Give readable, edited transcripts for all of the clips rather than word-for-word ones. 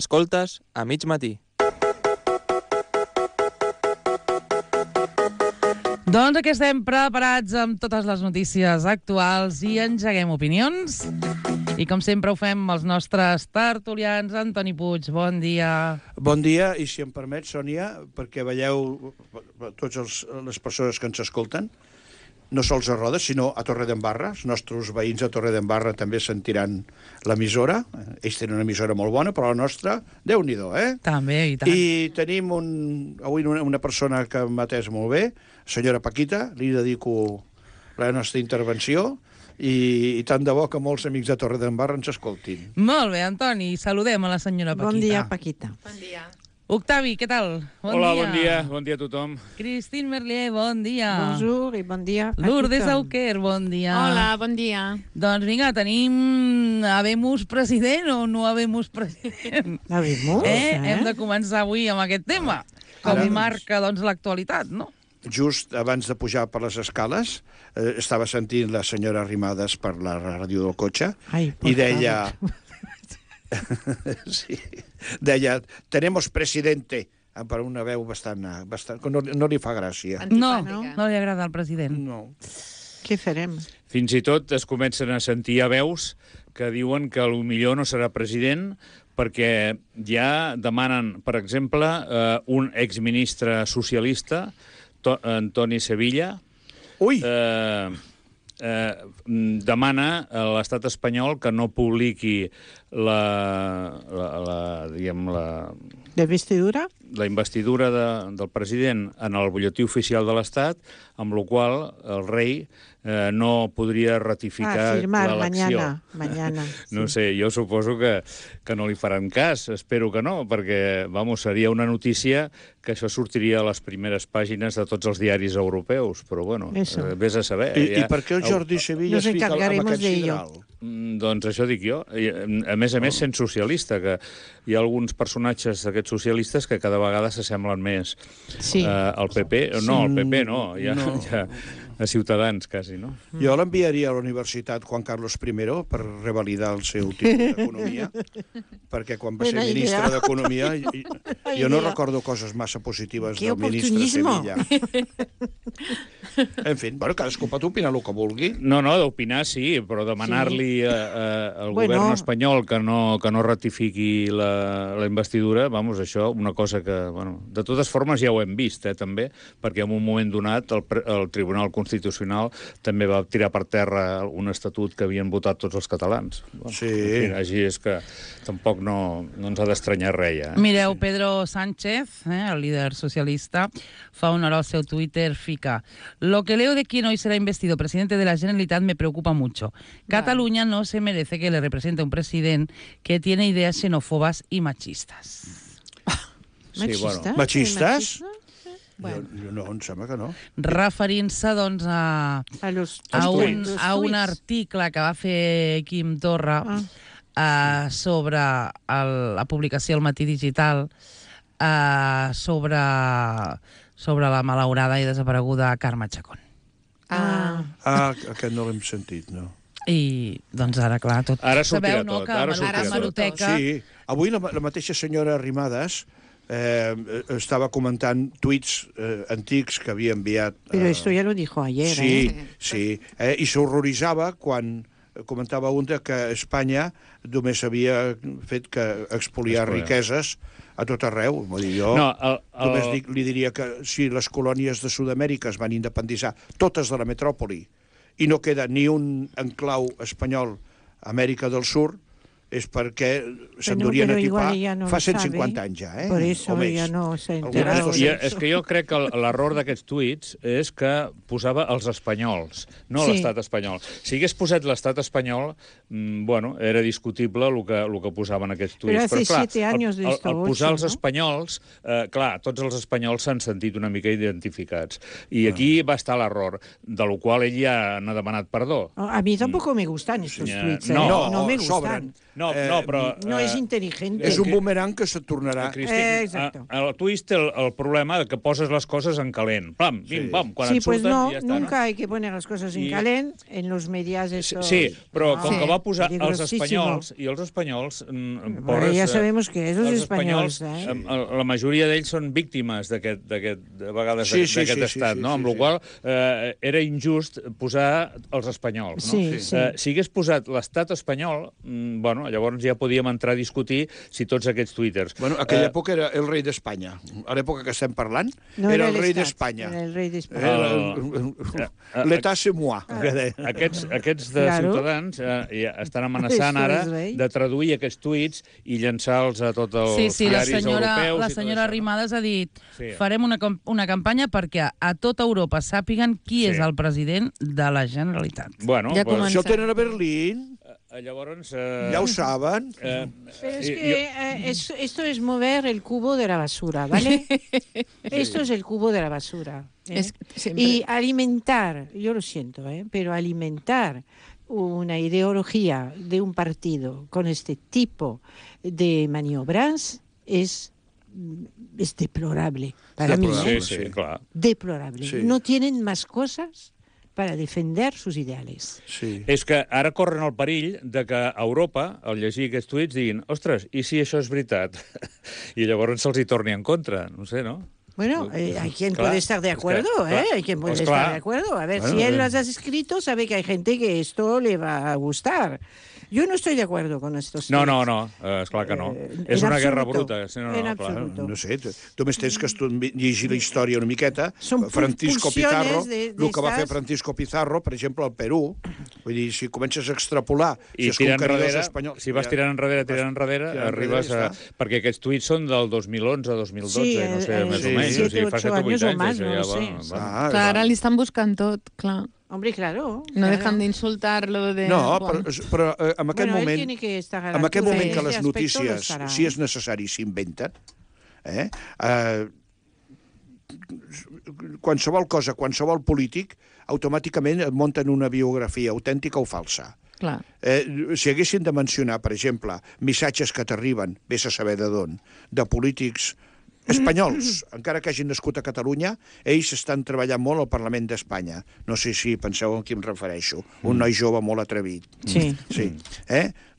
Escoltes a mig matí. Doncs aquí estem preparats amb totes les notícies actuals i engeguem opinions. I com sempre ho fem amb els nostres tertulians. Antoni Puig, bon dia. Bon dia, i si em permet, Sònia, perquè veieu totes les persones que ens escolten, no sols a Rodes, sinó a Torredembarra. Els nostres veïns a Torredembarra també sentiran l'emissora. Ells tenen una emissora molt bona, però la nostra, Déu-n'hi-do, eh? També, i tant. I tenim avui una persona que m'ha atès molt bé, senyora Paquita, li dedico la nostra intervenció, i tant de bo que molts amics de Torredembarra ens escoltin. Molt bé, Antoni, saludem a la senyora Paquita. Bon dia, Paquita. Bon dia. Octavi, què tal? Hola, bon dia a tothom. Christine Merlier, bon dia. Bonjour i bon dia, Paquita. Lourdes Auquer, bon dia. Hola, bon dia. Doncs vinga, tenim habemus president o no habemus president? Habemus, Hem de començar avui amb aquest tema, com marca doncs, l'actualitat, no? Just abans de pujar per les escales, estava sentint la senyora Arrimadas per la ràdio del cotxe. Ai, I deia... sí, deia, tenemos presidente, per una veu bastant que no li fa gràcia. No li agrada al president. No. Què farem? Fins i tot es comencen a sentir veus que diuen que potser no serà president perquè ja demanen, per exemple, un exministre socialista, Antoni Sevilla, Ui! demana a l'estat espanyol que no publiqui la investidura del president en el butlletí oficial de l'Estat, amb la qual el rei no podria ratificar l'elecció. Mañana. No sé, jo suposo que no li faran cas, espero que no, perquè, seria una notícia que això sortiria a les primeres pàgines de tots els diaris europeus, però, vés a saber. I per què el Jordi Sevilla es fica amb aquest sidral? Doncs això dic jo. A més, sent socialista, que hi ha alguns personatges d'aquests socialistes que cada vegada s'assemblen més al PP. No, al PP no, ja a Ciutadans, quasi, no? Jo l'enviaria a la Universitat Juan Carlos I per revalidar el seu títol d'Economia, perquè quan va ser ministre d'Economia jo no recordo coses massa positives del ministre Sevilla. En fi, cadascú pot opinar el que vulgui. No, d'opinar sí, però demanar-li al govern espanyol que no ratifiqui la investidura, això, una cosa que, de totes formes ja ho hem vist, també, perquè en un moment donat el Tribunal Constitucional també va tirar per terra un estatut que havien votat tots els catalans. Sí. Així és que tampoc no ens ha d'estranyar res. Mireu, Pedro Sánchez, el líder socialista, fa honor al seu Twitter, fica: lo que leo de quien hoy será investido presidente de la Generalitat me preocupa mucho. Cataluña no se merece que le represente un presidente que tiene ideas xenófobas y machistas. Machistes? Machistes? No, em sembla que no. Referint-se, doncs, a un article que va fer Quim Torra sobre la publicació al Matí Digital sobre la malaurada i desapareguda Carme Chacón. Aquest no l'hem sentit, no. I, doncs, ara, clar, tot... Ara sortirà tot. Ara sortirà tot. Sí, avui la mateixa senyora Arrimadas estava comentant tuits antics que havia enviat... Però esto ya lo dijo ayer, Sí. I s'horroritzava quan comentava un que Espanya només havia fet que expoliar riqueses a tot arreu. Jo només li diria que si les colònies de Sud-amèrica es van independitzar, totes de la metròpoli, i no queda ni un enclau espanyol a Amèrica del Sud, és perquè s'endurien a tipar fa 150 anys ja, Por eso ja no s'ha enterat. És que jo crec que l'error d'aquests tuits és que posava els espanyols, no l'estat espanyol. Si hagués posat l'estat espanyol, era discutible el que posaven aquests tuits. Però hace 7 anys de esto. Al posar els espanyols, clar, tots els espanyols s'han sentit una mica identificats. I aquí va estar l'error, de lo qual ell ja n'ha demanat perdó. A mi tampoc me gustan estos tuits. No me gustan. No és intel·ligent. És un bumerang que se't tornarà. Exacto. El twist té el problema que poses les coses en calent. Pam, bim, pam, quan et surten no, ja està. Nunca hay que poner las cosas en calent en los medios estos... Sí, però com que va posar els espanyols, i els espanyols... Ja sabemos que és els espanyols. La majoria d'ells són víctimes d'aquest estat, no? Amb la qual era injust posar els espanyols, no? Si hagués posat l'estat espanyol, bueno, llavors ja podíem entrar a discutir si tots aquests twitters... Bueno, aquella època era el rei d'Espanya. A l'època que estem parlant, era el rei d'Espanya. Era el rei d'Espanya. L'état c'est moi. Aquests de Ciutadans estan amenaçant ara de traduir aquests tuits i llançar-los a tots els diaris europeus. La senyora Arrimadas ha dit farem una campanya perquè a tota Europa sàpiguen qui és el president de la Generalitat. Bueno, això ho tenen a Berlín. Llavors... Ja ho saben. Pero es que esto es mover el cubo de la basura, ¿vale? Esto es el cubo de la basura. Y alimentar, yo lo siento, pero alimentar una ideología de un partido con este tipo de maniobras es deplorable para mí. Sí, claro. Deplorable. Sí. No tienen más cosas para defender sus ideales. Sí. És que ara corren el perill de que a Europa, al llegir aquests tuits, diguin ostres, i si això és veritat? I llavors se'ls hi torni en contra, no sé, no? Bueno, hay quien puede estar de acuerdo, hay quien puede estar de acuerdo. A ver, si él las ha escrito, sabe que hay gente que esto le va a gustar. Yo no estoy de acuerdo con estos temas. No, esclar que no. És una guerra bruta. En absoluto. No sé, només tens que llegir la història una miqueta. Francisco Pizarro, el que va fer Francisco Pizarro, per exemple, al Perú, vull dir, si comences a extrapolar... I tirant enrere, si vas tirant enrere, arribes a... Perquè aquests tuits són del 2011, 2012, no sé, més o menys. 7, 8 anys o més, no sé. Clar, ara li estan buscant tot, clar. Hombre, claro. No dejan de insultar-lo. No, però en aquest moment... En aquest moment que les notícies, si és necessari, s'inventen, qualsevol cosa, qualsevol polític, automàticament et munten una biografia autèntica o falsa. Clar. Si haguessin de mencionar, per exemple, missatges que t'arriben, vés a saber de d'on, de polítics espanyols, encara que hagin nascut a Catalunya, ells estan treballant molt al Parlament d'Espanya. No sé si penseu a qui em refereixo. Un noi jove molt atrevit. Sí.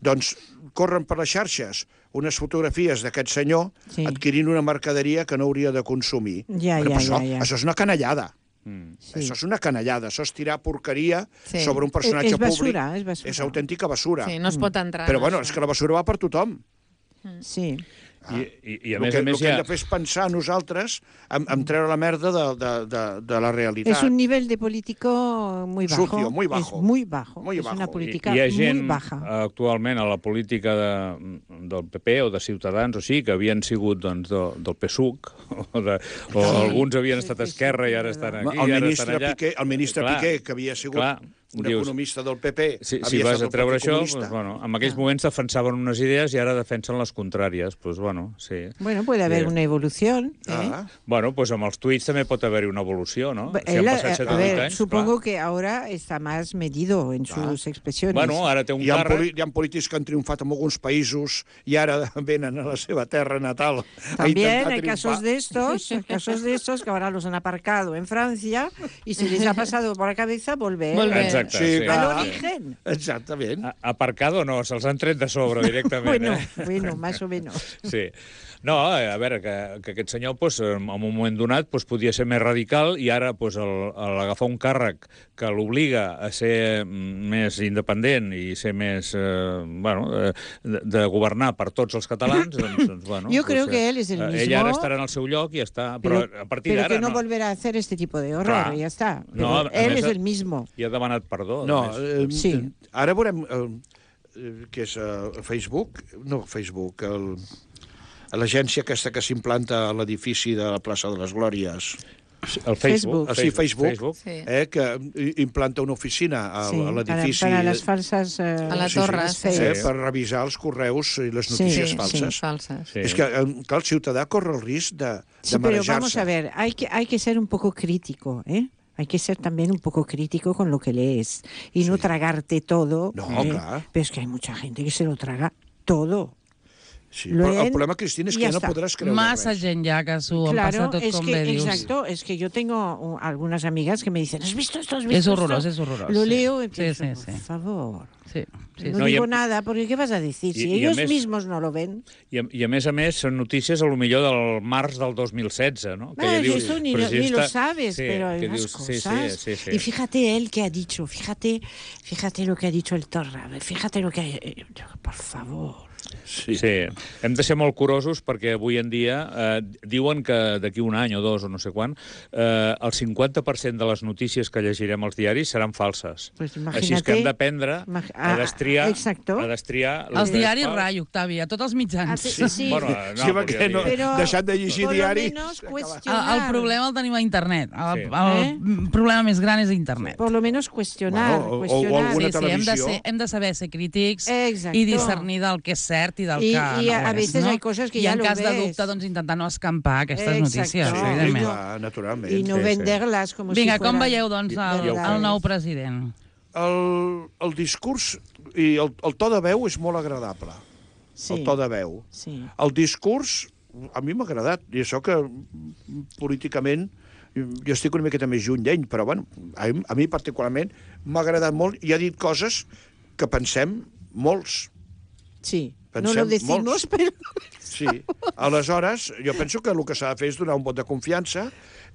Doncs corren per les xarxes unes fotografies d'aquest senyor adquirint una mercaderia que no hauria de consumir. Això és una canallada. Això és una canallada, això és tirar porqueria sobre un personatge públic. És basura. És autèntica basura. Sí, no es pot entrar. Però bueno, és que la basura va per tothom. Sí. I a més el que hem de fer és pensar nosaltres en treure la merda de la realitat. És un nivell de político muy bajo. Sucio, muy bajo. Es muy bajo. Muy es bajo. una política hi ha muy gent baja. Actualment a la política del PP o de Ciutadans o sí, que havien sigut doncs, del PSUC o alguns havien estat a Esquerra i ara estan aquí, el ministre Piqué, que havia sigut un economista del PP, si vas a treure això, en aquells moments defensaven unes idees i ara defensen les contràries. Bueno, puede haber una evolución. Bueno, pues amb els tuits també pot haver-hi una evolució, no? Si han passat 7 o 8 anys, supongo que ahora está más medido en sus expresiones. Bueno, ara té un càrrec... Hi ha polítics que han triomfat en alguns països i ara venen a la seva terra natal. También hay casos de estos que ahora los han aparcado en Francia y se les ha pasado por la cabeza volver. Exacte, al origen. Exactament. Aparcado no, se'ls han tret de sobre directament. Bueno, más o menos. Sí. No, a veure, que aquest senyor en un moment donat podia ser més radical i ara l'agafar un càrrec que l'obliga a ser més independent i ser més, de governar per tots els catalans, doncs yo creo que él es el mismo. Ell ara estarà en el seu lloc i ja està, però a partir d'ara... Pero que no volverá a hacer este tipo de horror, ya está. Él es el mismo. I ha demanat perdó. No, ara veurem que és Facebook, l'agència aquesta que s'implanta a l'edifici de la plaça de les Glòries. El Facebook. Facebook. Que implanta una oficina a l'edifici. Para las falsas... a la torre. Per revisar els correus i les notícies falses. És que, clar, el ciutadà corre el risc de marejar-se. Pero vamos a ver, hay que ser un poco crítico, Hay que ser también un poco crítico con lo que lees y no tragarte todo. No, claro. Pero es que hay mucha gente que se lo traga todo. Sí, però el problema, Cristina, és que ja no podràs creure Massa gent ja que s'ho han passat tot com bé dius. Exacto, es que yo tengo algunas amigas que me dicen, ¿has visto esto? ¿Has visto Es horroroso, esto? es horroroso. Lo leo y Sí, pienso, sí, sí. por favor. Sí, sí, No digo nada, porque ¿qué vas a decir? Si ellos mismos no lo ven. I a més, són notícies a lo millor del març del 2016, ¿no? Que dius, eso ni lo sabes, pero hay unas cosas. Sí. Y fíjate él que ha dicho, fíjate lo que ha dicho el Torra, fíjate lo que ha... Por favor. Sí, hem de ser molt curosos perquè avui en dia diuen que d'aquí un any o dos o no sé quan el 50% de les notícies que llegirem als diaris seran falses. Pues així és que hem d'aprendre a destriar... Els diaris rai, Octavi, a tots els mitjans. Sí. Bueno, deixant de llegir diaris... El problema el tenim a internet. El problema més gran és a internet. Por lo menos cuestionar. O alguna televisió. Hem de saber ser crítics i discernir del que és cert i del que no és. I a veces hay coses que ja lo ves. I en cas de dubte, doncs, intentar no escampar aquestes notícies, evidentment. Naturalment. I no vender-les com si Vinga, com veieu, doncs, el nou president? El discurs i el to de veu és molt agradable. El to de veu. El discurs, a mi m'ha agradat, i això que políticament jo estic una miqueta més lluny d'ell, però bueno, a mi particularment m'ha agradat molt i ha dit coses que pensem molts. Sí, no lo decimos, però... Sí, aleshores, jo penso que el que s'ha de fer és donar un vot de confiança.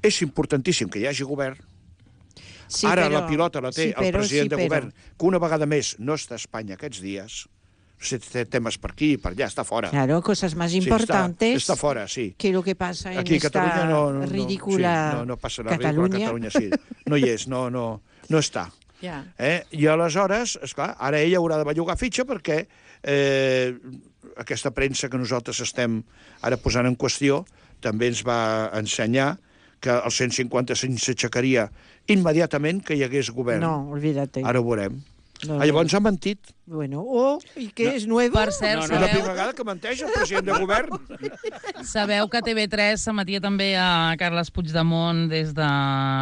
És importantíssim que hi hagi govern. Ara la pilota la té el president de govern, que una vegada més no està a Espanya aquests dies. Té temes per aquí i per allà, està fora. Claro, cosas más importantes. Està fora, sí. Que lo que pasa en aquí, esta ridícula no passa la ridícula Catalunya, sí. No hi és, no està. I aleshores, esclar, ara ella haurà de bellugar fitxa perquè aquesta premsa que nosaltres estem ara posant en qüestió també ens va ensenyar que el 155 s'aixecaria immediatament que hi hagués govern. No, olvídate. Ara ho veurem. Llavors ha mentit. Bueno, i què és nuevo? Per cert, sabeu... La primera vegada que menteix el president de govern. Sabeu que TV3 s'emetia també a Carles Puigdemont des de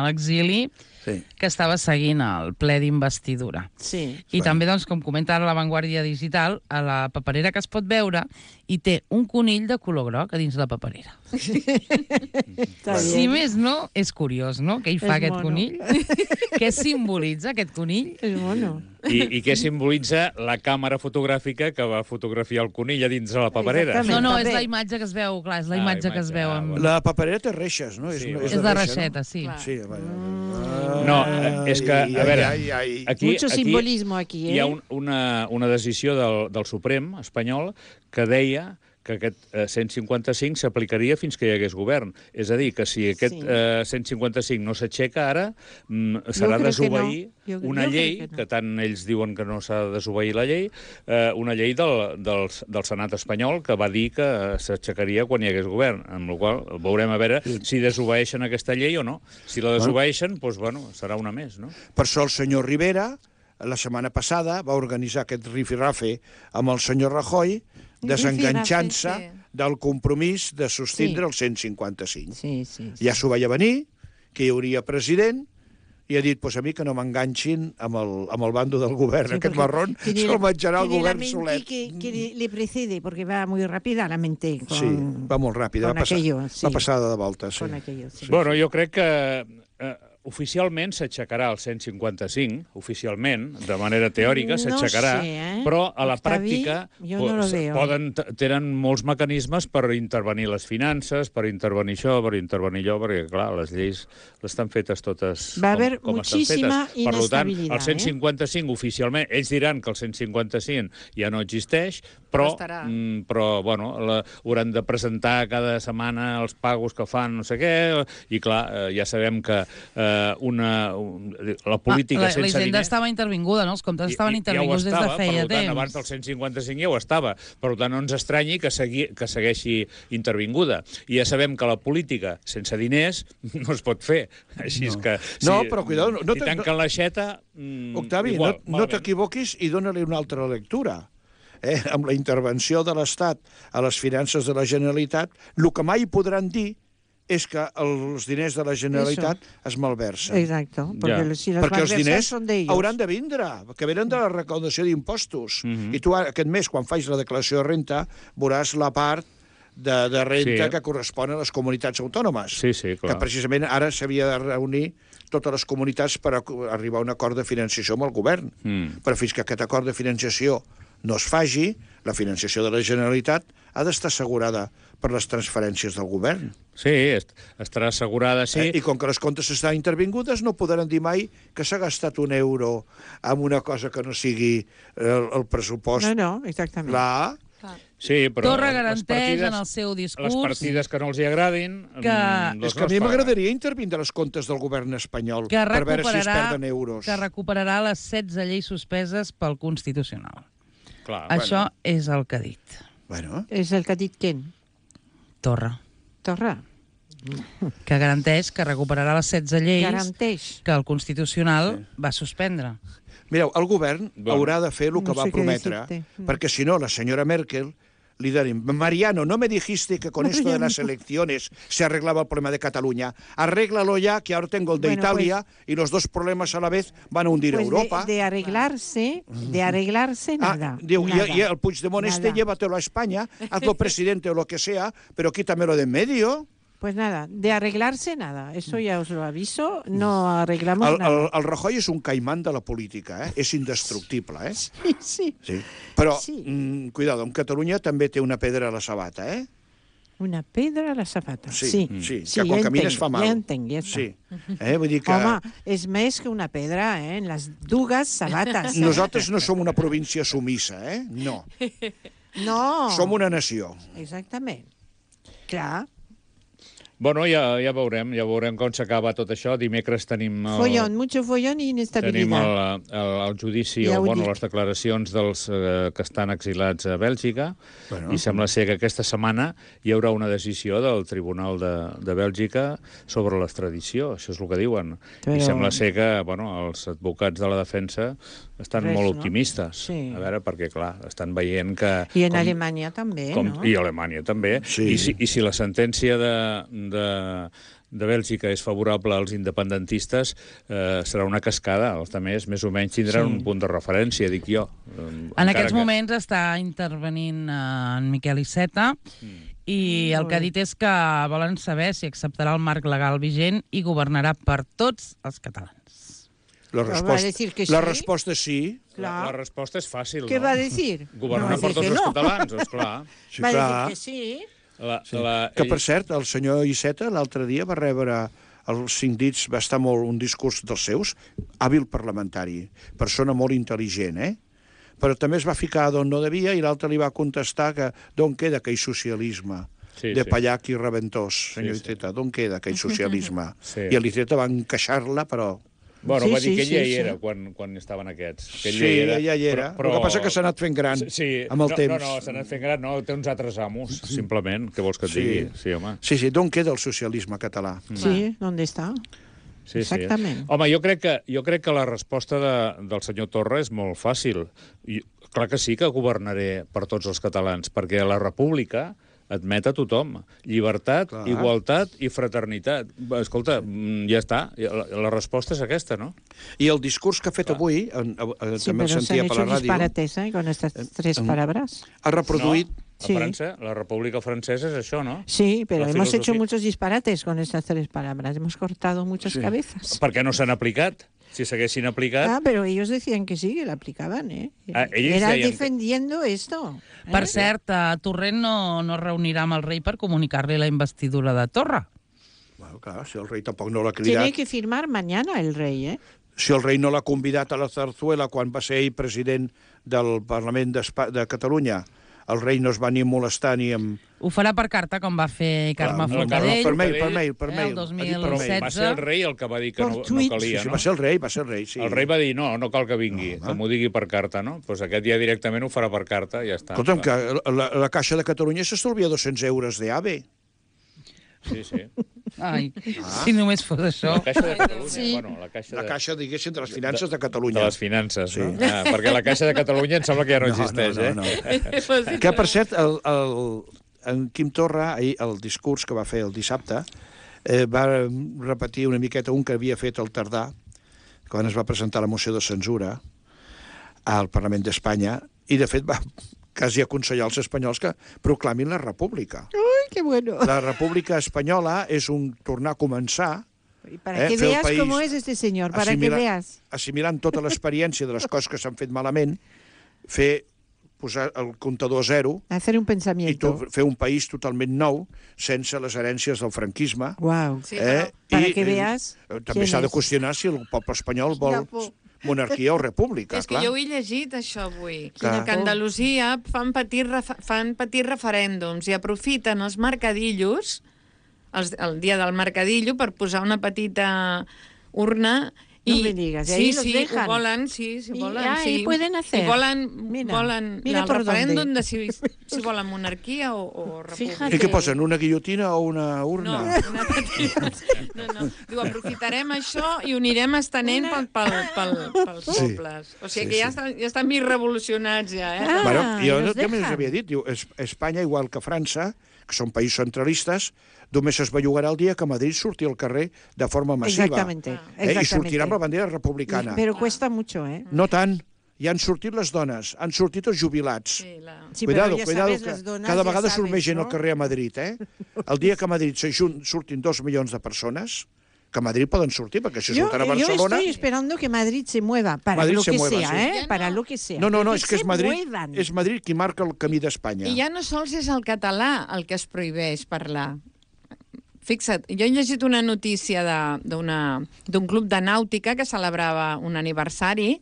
l'exili, que estava seguint el ple d'investidura. Sí. I també, doncs, com comenta ara La Vanguardia Digital, a la paperera que es pot veure hi té un conill de color groc a dins la paperera. Si més no, és curiós, no?, què hi fa aquest conill. Què simbolitza aquest conill? És mono. I què simbolitza la càmera fotogràfica que va fotografiar el conill a dins de la paperera? No, és la imatge que es veu, clar, és la imatge que es veu. La paperera té reixes, no? És de reixeta, sí. No, és que, a veure... Mucho simbolismo aquí, Hi ha una decisió del Suprem espanyol que deia que aquest 155 s'aplicaria fins que hi hagués govern. És a dir, que si aquest 155 no s'aixeca ara, s'ha de desobeir una llei, que tant ells diuen que no s'ha de desobeir la llei, una llei del Senat espanyol que va dir que s'aixecaria quan hi hagués govern, amb la qual cosa veurem a veure si desobeeixen aquesta llei o no. Si la desobeeixen, doncs, bueno, serà una més, no? Per això el senyor Rivera, la setmana passada, va organitzar aquest rifirrafe amb el senyor Rajoy, desenganxant-se del compromís de sostindre el 155. Ja s'ho veia venir, que hi hauria president, i ha dit, pues a mi que no m'enganxin amb el bando del govern. Aquest marrón se'l menjarà el govern solet. Que le precede, porque va muy rápida la mente. Sí, va molt ràpida, va passada de volta. Bueno, jo crec que oficialment s'aixecarà el 155, oficialment, de manera teòrica s'aixecarà, però a la pràctica tenen molts mecanismes per intervenir les finances, per intervenir això, per intervenir allò, perquè, clar, les lleis estan fetes totes com estan fetes. Per tant, el 155 oficialment, ells diran que el 155 ja no existeix, però bueno, hauran de presentar cada setmana els pagos que fan, no sé què, i clar, ja sabem que la política sense diners... La Hisenda estava intervinguda, no? Els comptes estaven intervinguts des de feia temps. Per tant, abans del 155 ja ho estava. Per tant, no ens estranyi que segueixi intervinguda. I ja sabem que la política sense diners no es pot fer. Així és que... No, però cuidado... Si tanquen l'aixeta... Octavi, no t'equivoquis i dóna-li una altra lectura. Amb la intervenció de l'Estat a les finances de la Generalitat, el que mai podran dir és que els diners de la Generalitat es malversen. Exacto, porque si perquè els diners hauran de vindre, que venen de la recaudació d'impostos. I tu aquest mes, quan faig la declaració de renta, veuràs la part de renta que correspon a les comunitats autònomes. Que precisament ara s'havia de reunir totes les comunitats per arribar a un acord de financiació amb el govern. Però fins que aquest acord de financiació no es faci, la financiació de la Generalitat ha d'estar assegurada per les transferències del govern. Sí, estarà assegurada, sí. I com que les comptes estan intervingudes, no podran dir mai que s'ha gastat un euro en una cosa que no sigui el pressupost. No, exactament. Clar. Sí, però Torra garanteix en el seu discurs... Les partides que no els hi agradin... És que a mi m'agradaria intervindre les comptes del govern espanyol per veure si es perden euros. Que recuperarà les 16 lleis suspeses pel Constitucional. Clar, això és el que ha dit. Bueno. És el que ha dit què? Torra. Que garanteix que recuperarà les 16 lleis que el Constitucional va suspendre. Mireu, el govern haurà de fer el que va prometre, perquè si no, la senyora Merkel li direm, Mariano, no me dijiste que con esto de las elecciones se arreglaba el problema de Cataluña. Arréglalo ya, que ahora tengo el de Italia y los dos problemas a la vez van a hundir a Europa. De arreglarse nada. Diu, y el Puigdemont llévatelo a España, hazlo presidente o lo que sea, pero quítamelo de en medio. Pues nada, de arreglarse nada. Eso ya os lo aviso, no arreglamos nada. El Rajoy és un caimán de la política, és indestructible, Sí. Però, cuidado, en Catalunya també té una pedra a la sabata, Una pedra a la sabata. Sí, que quan camines fa mal. Ja entenc, ja està. Sí. Vull dir que... Home, és més que una pedra, en les dues sabates. Nosaltres no som una província sumissa, No. No. Som una nació. Exactament. Clar. Bueno, ja veurem com s'acaba tot això. Dimecres tenim... Mucho follón i inestabilitat. Tenim el judici, les declaracions dels que estan exilats a Bèlgica, i sembla ser que aquesta setmana hi haurà una decisió del Tribunal de Bèlgica sobre l'extradició, això és el que diuen. I sembla ser que els advocats de la defensa estan molt optimistes. A veure, perquè, clar, estan veient que... I en Alemanya també, no? I a Alemanya també. I si la sentència de Bèlgica és favorable als independentistes, serà una cascada. Els altres, més o menys, tindran un punt de referència, dic jo. En aquests moments està intervenint en Miquel Iceta i el que ha dit és que volen saber si acceptarà el marc legal vigent i governarà per tots els catalans. La resposta és sí. La resposta és fàcil, Què va dir? Governar per tots els catalans, esclar. Va dir que sí. Que, per cert, el senyor Iceta l'altre dia va rebre els 5 dits, va estar molt un discurs dels seus, hàbil parlamentari, persona molt intel·ligent, Però també es va ficar d'on no devia i l'altre li va contestar que d'on queda aquell socialisme de Pallac i Reventós, senyor Iceta, d'on queda aquell socialisme? I l'Iceta va encaixar-la, però... Bueno, va dir que ella hi era quan estaven aquests. Sí, ella hi era. El que passa que s'ha anat fent gran amb el temps. No, s'ha anat fent gran, no, té uns altres amos, simplement. Què vols que et digui? Sí, home. Sí, d'on queda el socialisme català? Sí, d'on està? Exactament. Home, jo crec que la resposta del senyor Torra és molt fàcil. Clar que sí que governaré per tots els catalans, perquè la república admet a tothom. Llibertat, igualtat i fraternitat. Escolta, ja està. La resposta és aquesta, no? I el discurs que ha fet avui, també el sentia per la ràdio... disparates, con estas 3 palabras. Ha reproduït... A França, la República Francesa és això, ¿no? Sí, pero hemos hecho muchos disparates con estas 3 palabras. Hemos cortado muchas cabezas. Per què no s'han aplicat? Si s'haguessin aplicat... pero ellos decían que sí, que la aplicaban, Era defendiendo esto. Per cert, Torrent no reunirà amb el rei per comunicar-li la investidura de Torra. Bueno, clar, si el rei tampoc no l'ha cridat... Tiene que firmar mañana el rey, Si el rei no l'ha convidat a la Zarzuela quan va ser ell president del Parlament de Catalunya, el rei no es va ni molestar ni amb... Ho farà per carta, com va fer Carme Forcadell. Per mail. El 2016. Va ser el rei el que va dir que no calia, no? Va ser el rei, sí. El rei va dir, no cal que vingui, que m'ho digui per carta, no? Doncs aquest ja directament ho farà per carta, ja està. Escolta'm, que la Caixa de Catalunya s'estalvia 200 euros d'AVE. Sí. Ai, si només fos això. La Caixa de Catalunya, La Caixa, diguéssim, de les finances de Catalunya. De les finances, no? Perquè la Caixa de Catalunya em sembla que ja no existeix, Que, per cert, en Quim Torra, ahir, el discurs que va fer el dissabte, va repetir una miqueta un que havia fet el Tardà, quan es va presentar la moció de censura al Parlament d'Espanya, i de fet va quasi aconsellar als espanyols que proclamin la república. ¡Uy, qué bueno! La república espanyola és un tornar a començar. Y para que veas cómo es este señor, para que veas. Assimilant tota l'experiència de les coses que s'han fet malament, posar el comptador a zero, hacer un pensamiento, i fer un país totalment nou, sense les herències del franquisme. Wow. Sí, però... Para que veas... També s'ha de qüestionar si el poble espanyol vol monarquia o república. És que jo ho he llegit, això, avui. Que a Andalusia fan petits referèndums i aprofiten els mercadillos, el dia del mercadillo, per posar una petita urna. No me digas, ahí los dejan. Volen, volen. Y pueden hacer. I volen mira el referèndum de si volen monarquia o república. I què posen, una guillotina o una urna? No. Diu, aprofitarem això i ho anirem estenent pels pobles. O sigui que ja estan mig revolucionats, ja. Bueno, jo més havia dit, diu, Espanya, igual que França, que són països centralistes, només es bellugarà el dia que Madrid surti al carrer de forma massiva. Exactamente. I sortirà amb la bandera republicana. Però cuesta mucho, ¿eh? No tant. Ja han sortit les dones, han sortit els jubilats. Sí, cuidado, ja cuidado, sabes, que cada vegada surt més gent al carrer a Madrid, eh? El dia que a Madrid surtin 2 milions de persones, que a Madrid poden sortir, perquè si surten a Barcelona... Yo estoy esperando que Madrid se mueva, para lo que sea, ¿eh? Para lo que sea. No, és que és Madrid qui marca el camí d'Espanya. I ja no sols és el català el que es prohibeix parlar. Fixa't, jo he llegit una notícia d'un club de nàutica que celebrava un aniversari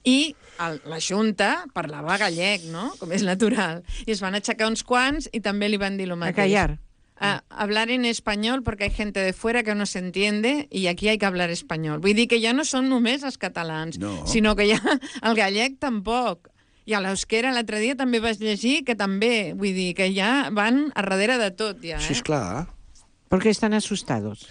i la Junta parlava gallec, no? Com és natural. I es van aixecar uns quants i també li van dir el mateix. A callar. Hablar en español porque hay gente de fuera que no se entiende y aquí hay que hablar español. Vull dir que ja no són només els catalans, sinó que ja el gallec tampoc. I a l'euskera l'altre dia també vas llegir que també, vull dir, que ja van a darrere de tot, ja. Sí, esclar. Porque están asustados.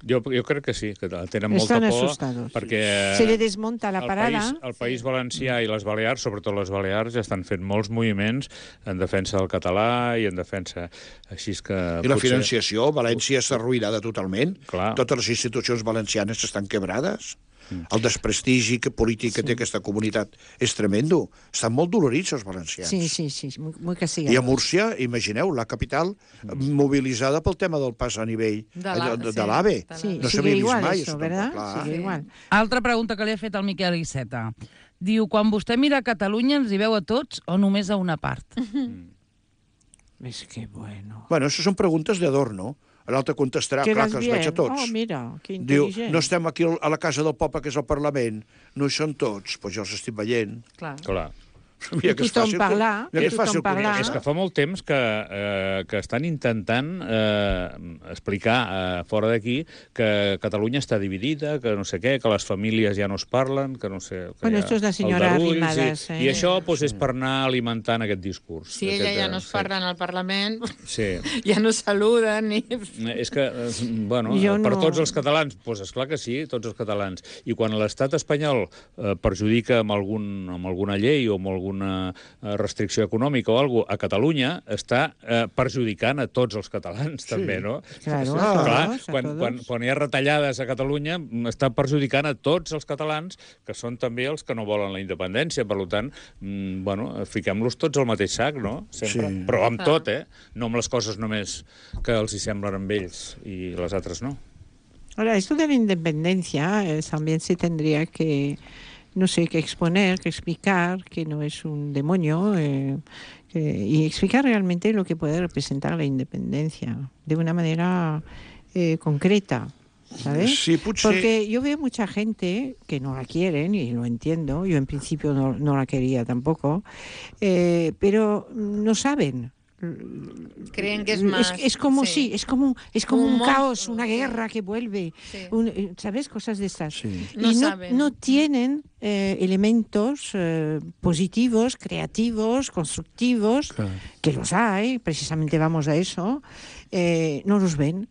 Jo crec que sí, que tenen molta por, asustados. perquè se le desmonta la parada. El País Valencià i les Balears, sobretot les Balears, ja estan fent molts moviments en defensa del català i en defensa així que... I la financiació, València està arruïnada totalment. Clar. Totes les institucions valencianes estan quebrades. El desprestigi polític que té aquesta comunitat és tremendo. Estan molt dolorits els valencians. Sí, muy castigados. I a Múrcia, imagineu, la capital mobilitzada pel tema del pas a nivell de l'AVE. No s'havia vist mai. Eso, ¿verdad? Sigue igual. Altra pregunta que li ha fet el Miquel Iceta. Diu, quan vostè mira Catalunya ens hi veu a tots o només a una part? És que bueno. Bueno, això són preguntes d'adorno. L'altre contestarà, clar, que els veig a tots. Oh, mira, que diu, intel·ligent. no estem aquí a la casa del poble, que és el Parlament, no hi són tots, doncs jo els estic veient. Clar. Mira que és fàcil. És que fa molt temps que estan intentant explicar fora d'aquí que Catalunya està dividida, que no sé què, que les famílies ja no es parlen, que no sé... Bueno, esto és la senyora Arrimadas. I això és per anar alimentant aquest discurs. Si ella ja no es parlen al Parlament, sí. Ja no saluden ni... És que, bueno, per tots els catalans, doncs esclar que sí, tots els catalans. I quan l'estat espanyol perjudica amb alguna llei o amb alguna restricció econòmica o alguna cosa, a Catalunya està perjudicant a tots els catalans, també, no? Claro, quan hi ha retallades a Catalunya, està perjudicant a tots els catalans, que són també els que no volen la independència. Per tant, bueno, fiquem-los tots al mateix sac, no? Sempre. Sí. Però amb tot, no amb les coses només que els hi semblen amb ells i les altres no. Ahora, esto de la independencia también se tendría que... no sé, que exponer, que explicar que no es un demonio y explicar realmente lo que puede representar la independencia de una manera concreta, ¿sabes? Sí, potser... Porque yo veo mucha gente que no la quieren y lo entiendo, yo en principio no la quería tampoco, pero no saben. Creen que es más... Es como es como un caos, una guerra que vuelve, ¿sabes? Cosas de estas. Sí. Y no tienen elementos positivos, creativos, constructivos, claro, que los hay, precisamente vamos a eso, no los ven.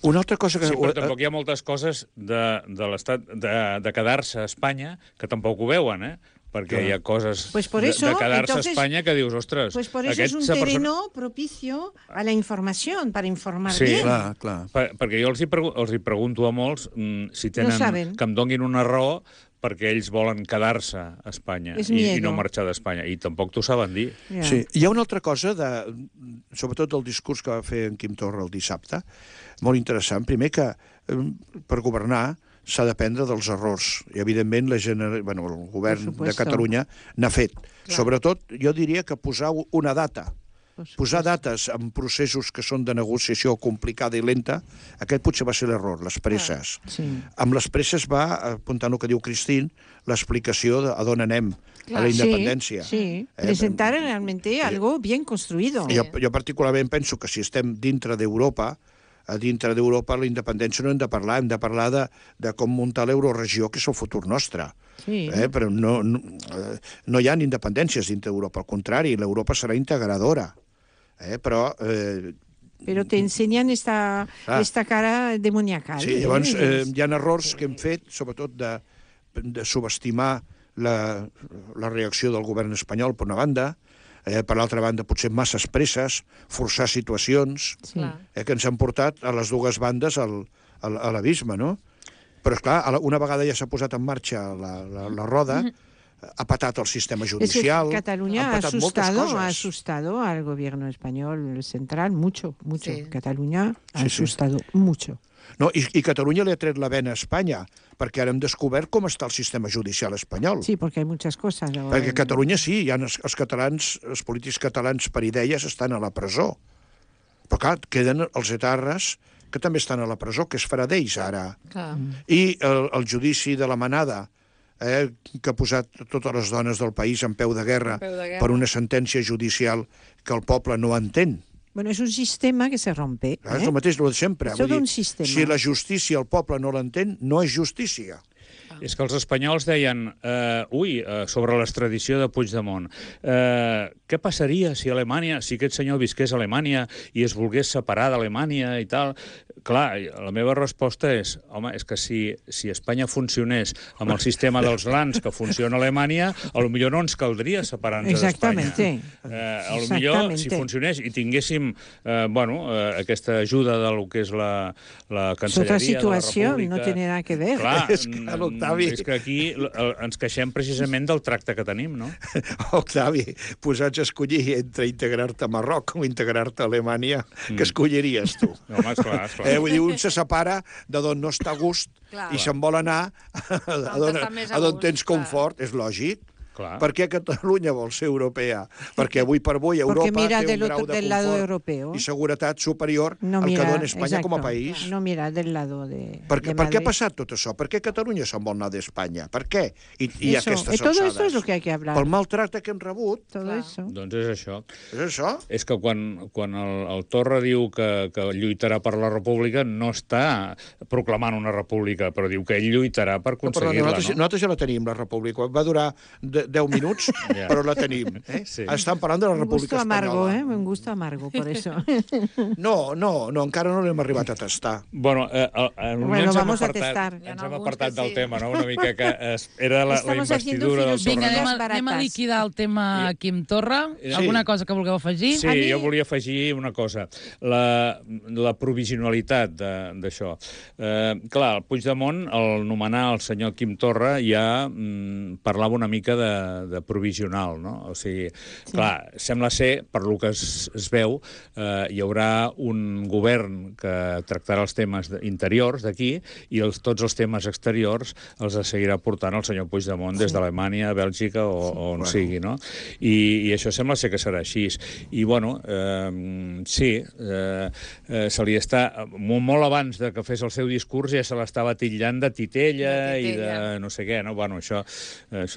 Una altra cosa que... Sí, però tampoc hi ha moltes coses de l'estat de quedar-se a Espanya que tampoc ho veuen, perquè hi ha coses de quedar-se a Espanya que dius, ostres... Pues por eso es un terreno propicio a la información, para informar bien. Clar. Perquè jo els hi pregunto a molts si tenen... que em donguin una raó perquè ells volen quedar-se a Espanya i no marxar d'Espanya. I tampoc t'ho saben dir. Sí. Hi ha una altra cosa, sobretot del discurs que va fer en Quim Torra el dissabte, molt interessant. Primer que per governar s'ha d'aprendre dels errors. I, evidentment, el govern de Catalunya n'ha fet. Sobretot, jo diria que posar una data. Posar dates en processos que són de negociació complicada i lenta, aquest potser va ser l'error, les presses. Amb les presses va, apuntant el que diu Christine, l'explicació a d'on anem, a la independència. Sí, presentar realmente algo bien construido. Jo particularment penso que si estem dintre d'Europa, la independència no hem de parlar de com muntar l'euroregió, que és el futur nostre. Però no hi ha independències dintre d'Europa, al contrari, l'Europa serà integradora. Però te ensenyen esta cara demoniacal. Sí, llavors hi ha errors que hem fet, sobretot de subestimar la reacció del govern espanyol, per una banda, per l'altra banda, potser masses presses, forçar situacions que ens han portat a les dues bandes a l'abisme, no? Però, esclar, una vegada ja s'ha posat en marxa la roda, ha patat el sistema judicial... Es que Cataluña ha asustado al gobierno español central mucho. Sí. Cataluña ha asustado mucho. No, i Catalunya li ha tret la vena a Espanya, perquè ara hem descobert com està el sistema judicial espanyol. Sí, perquè hi ha moltes coses. Perquè a Catalunya sí, els polítics catalans per idees estan a la presó. Però clar, queden els etarres que també estan a la presó, que es farà d'ells ara. I el judici de la Manada, que ha posat totes les dones del país en peu de guerra per una sentència judicial que el poble no entén. Bueno, és un sistema que se rompe. És el mateix, el de sempre. És tot un sistema. Si la justícia el poble no l'entén, no és justícia. És que els espanyols deien, sobre l'extradició de Puigdemont, què passaria si aquest senyor visqués a Alemanya i es volgués separar d'Alemanya i tal? Clar, la meva resposta és, home, és que si Espanya funcionés amb el sistema dels LANs que funciona a Alemanya, potser no ens caldria separar-nos d'Espanya. Potser, si funcionés i tinguéssim aquesta ajuda del que és la Cancelleria de la República... Otra situació no té nada que ver. Clar, és que aquí ens queixem precisament del tracte que tenim, no? Octavi, posats a escollir entre integrar-te a Marroc o integrar-te a Alemanya, què escolliries tu? Home, esclar. Vull dir, un se separa de d'on no està a gust i se'n vol anar a d'on tens confort, és lògic. Per què Catalunya vol ser europea? Perquè avui per avui Europa té un grau de confort i seguretat superior al que dona Espanya com a país. No mira del lado de Per què ha passat tot això? Per què Catalunya se'n vol anar d'Espanya? Per què? I aquestes alçades. Todo eso es lo que hay que hablar. Pel maltracte que hem rebut. Doncs és això. És això? És que quan el Torra diu que lluitarà per la república, no està proclamant una república, però diu que ell lluitarà per aconseguir-la. Nosaltres ja la tenim, la república. Va durar 10 minuts, però la tenim. Estan parlant de la República Espanyola. Un gusto amargo, por eso. No, encara no l'hem arribat a tastar. Bueno, vamos a testar. Ens hem apartat del tema, no? Una mica que era la investidura del Torra. Vinga, anem a liquidar el tema Quim Torra. Alguna cosa que vulgueu afegir? Sí, jo volia afegir una cosa. La provisionalitat d'això. Clar, el Puigdemont, al nomenar el senyor Quim Torra, ja parlava una mica de provisional, no? O sigui, clar, sembla ser, per lo que es veu, hi haurà un govern que tractarà els temes interiors d'aquí i tots els temes exteriors els seguirà portant el senyor Puigdemont des d'Alemanya, Bèlgica o on sigui, no? I això sembla ser que serà així. I, bueno, sí, se li està... Molt abans de que fes el seu discurs ja se l'estava titllant de titella i de no sé què, no? Bueno, això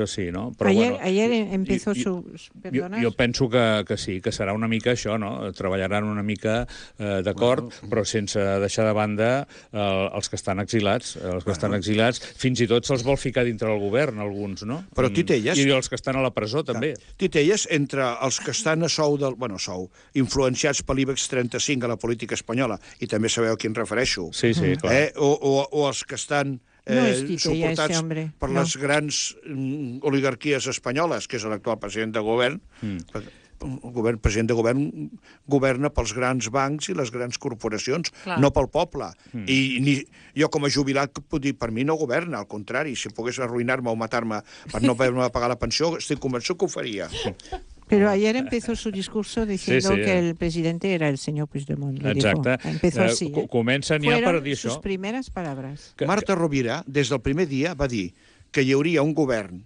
sí, no? Però, ayer empezó jo penso que sí, que serà una mica això, no? Treballaran una mica d'acord, però sense deixar de banda els que estan exilats. Els que estan exilats, fins i tot se'ls vol ficar dintre del govern, alguns, no? Però titelles... I els que estan a la presó, també. Titelles entre els que estan a sou, influenciats per l'IBEX 35 a la política espanyola, i també sabeu a qui em refereixo. Sí, clar. O els que estan suportats per les grans oligarquies espanyoles, que és l'actual president de govern. El president de govern governa pels grans bancs i les grans corporacions, no pel poble. I jo, com a jubilat, puc dir, per mi no governa, al contrari, si pogués arruïnar-me o matar-me per no poder pagar la pensió, estic convençut que ho faria. Pero ayer empezó su discurso diciendo que el presidente era el señor Puigdemont. Exacte. Empezó así. Comencen ja per dir això. Fueron sus primeras palabras. Marta Rovira, des del primer dia, va dir que hi hauria un govern